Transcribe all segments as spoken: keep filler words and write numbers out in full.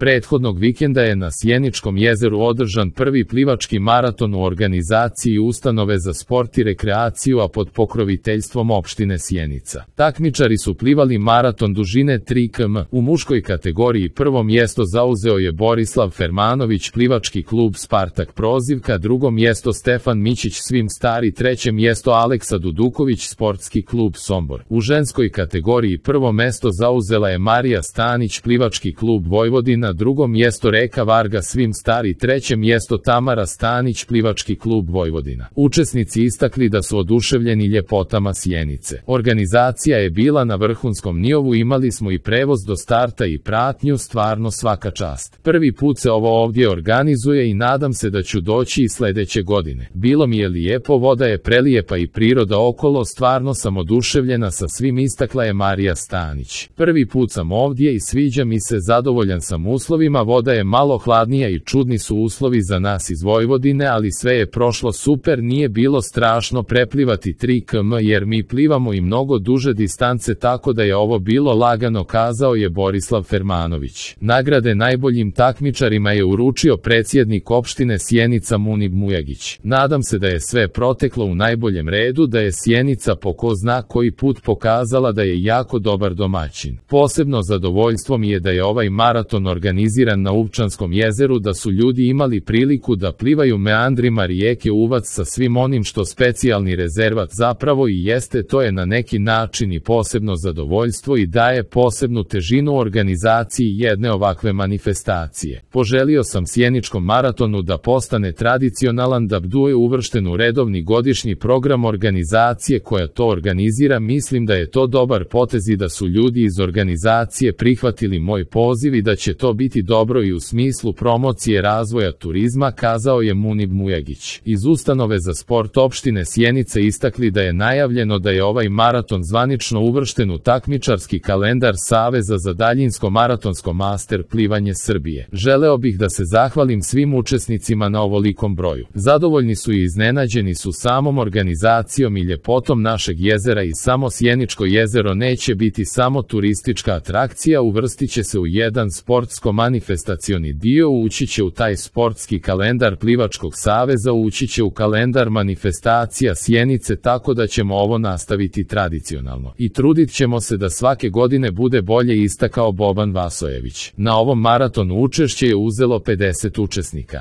Prethodnog vikenda je na Sjeničkom jezeru održan prvi plivački maraton u organizaciji Ustanove za sport i rekreaciju, a pod pokroviteljstvom opštine Sjenica. Takmičari su plivali maraton dužine tri kilometra. U muškoj kategoriji prvo mjesto zauzeo je Borislav Fermanović, plivački klub Spartak Prozivka, drugo mjesto Stefan Mićić Svim Stari, treće mjesto Aleksa Duduković, sportski klub Sombor. U ženskoj kategoriji prvo mjesto zauzela je Marija Stanić, plivački klub Vojvodina, drugo mjesto Reka Varga Svim Stari, treće mjesto Tamara Stanić, plivački klub Vojvodina. Učesnici istakli da su oduševljeni ljepotama Sjenice. Organizacija je bila na vrhunskom nivou, imali smo i prevoz do starta i pratnju, stvarno svaka čast. Prvi put se ovo ovdje organizuje i nadam se da ću doći i sljedeće godine. Bilo mi je lijepo, voda je prelijepa i priroda okolo, stvarno sam oduševljena sa svim, istakla je Marija Stanić. Prvi put sam ovdje i sviđa mi se, zadovoljan sam uslovima, voda je malo hladnija i čudni su uslovi za nas iz Vojvodine, ali sve je prošlo super, nije bilo strašno preplivati tri kilometra jer mi plivamo i mnogo duže distance, tako da je ovo bilo lagano, kazao je Borislav Fermanović. Nagrade najboljim takmičarima je uručio predsjednik opštine Sjenica Munib Mujagić. Nadam se da je sve proteklo u najboljem redu, da je Sjenica po ko zna koji put pokazala da je jako dobar domaćin. Posebno zadovoljstvo mi je da je ovaj maraton organiziran na Uvčanskom jezeru, da su ljudi imali priliku da plivaju meandrima rijeke Uvac sa svim onim što specijalni rezervat zapravo i jeste, to je na neki način i posebno zadovoljstvo i daje posebnu težinu organizaciji jedne ovakve manifestacije. Poželio sam Sjeničkom maratonu da postane tradicionalan, da bude uvršten u redovni godišnji program organizacije koja to organizira. Mislim da je to dobar potez i da su ljudi iz organizacije prihvatili moj poziv i da će to biti dobro i u smislu promocije razvoja turizma, kazao je Munib Mujagić. Iz Ustanove za sport opštine Sjenice istakli da je najavljeno da je ovaj maraton zvanično uvršten u takmičarski kalendar Saveza za daljinsko maratonsko master plivanje Srbije. Želeo bih da se zahvalim svim učesnicima na ovolikom broju. Zadovoljni su i iznenađeni su samom organizacijom i ljepotom našeg jezera, i samo Sjeničko jezero neće biti samo turistička atrakcija, uvrstit će se u jedan sportsko-manifestacioni dio, ući će u taj sportski kalendar Plivačkog saveza, ući će u kalendar manifestacija Sjenice, tako da ćemo ovo nastaviti tradicionalno. I trudit ćemo se da svake godine bude bolje, istakao Boban Vasojević. Na ovom maratonu učešće je uzelo pedeset učesnika.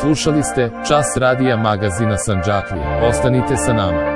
Slušali ste Čas radija magazina Sandžaklije. Ostanite sa nama.